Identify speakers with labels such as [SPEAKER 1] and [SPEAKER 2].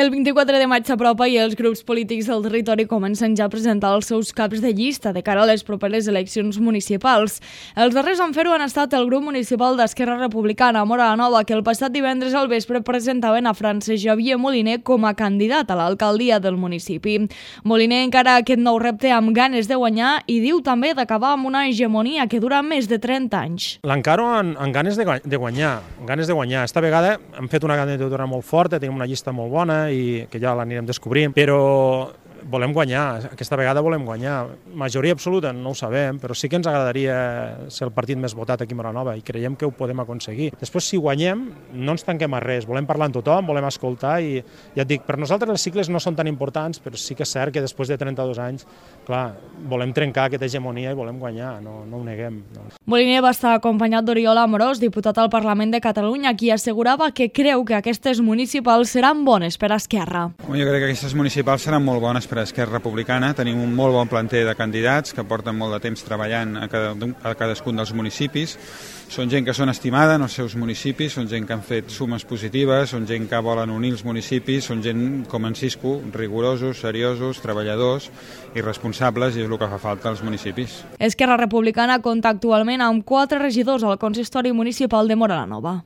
[SPEAKER 1] El 24 de maig s'apropa i els grups polítics del territori comencen ja a presentar els seus caps de llista de cara a les properes eleccions municipals. Els darrers en fer-ho han estat el grup municipal d'Esquerra Republicana a Móra la Nova, que el passat divendres al vespre presentaven a Francesc Xavier Moliner com a candidat a l'alcaldia del municipi. Moliner encara aquest nou repte amb ganes de guanyar i diu també d'acabar amb una hegemonia que dura més de 30 anys.
[SPEAKER 2] L'encaro amb ganes de guanyar. Esta vegada hem fet una candidatura molt forta, tenim una llista molt bona i que ja l'anirem descobrint, però volem guanyar, aquesta vegada volem guanyar. Majoria absoluta no ho sabem, però sí que ens agradaria ser el partit més votat aquí a Móra la Nova i creiem que ho podem aconseguir. Després, si guanyem, no ens tanquem a res, volem parlar amb tothom, volem escoltar i ja et dic, per nosaltres els cicles no són tan importants, però sí que és cert que després de 32 anys, clar, volem trencar aquesta hegemonia i volem guanyar, no ho neguem.
[SPEAKER 1] Moliner va estar acompanyat d'Oriol Amorós, diputat al Parlament de Catalunya, qui assegurava que creu que aquestes municipals seran bones per a Esquerra.
[SPEAKER 3] Jo crec que aquestes municipals seran molt bones per a Esquerra Republicana. Tenim un molt bon planter de candidats que porten molt de temps treballant a cadascun dels municipis. Són gent que són estimada en els seus municipis, són gent que han fet sumes positives, són gent que volen unir els municipis, són gent com en Cisco, rigorosos, seriosos, treballadors i responsables, i és el que fa falta als municipis.
[SPEAKER 1] Esquerra Republicana compta actualment amb 4 regidors al consistori municipal de Móra la Nova.